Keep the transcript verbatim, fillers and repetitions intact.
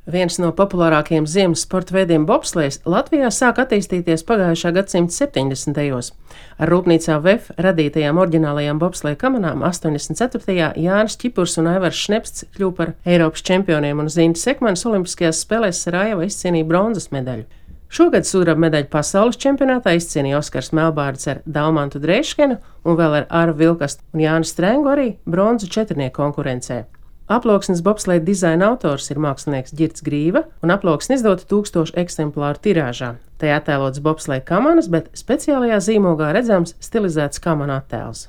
Viens no populārākajiem ziemas sporta veidiem bobslejs Latvijā sāk attīstīties pagājušā gadsimta septiņdesmitajos. Ar rūpnīcā V E F radītajām oriģinālajām bobsleja kamanām astoņdesmit ceturtajā Jānis Čipurs un Aivars Šnepsts kļuva par Eiropas čempioniem un Zinta Sekmanis Olimpiskajās spēlēs Sarajevā izcīnīja bronzas medaļu. Šogad sudraba medaļu pasaules čempionātā izcīnīja Oskars Melbārds ar Daumantu Dreiškenu un vēl ar Aru Vilkastu un Jāni Strengu arī bronzu četrnieku konkurencē. Aploksnes bobsleja dizaina autors ir mākslinieks Ģirds Grīva, un aploksne izdota tūkstošu eksemplāru tirāžā. Tajā attēlots bobsleja kamanas, bet speciālajā zīmogā redzams stilizēts kamana attēls.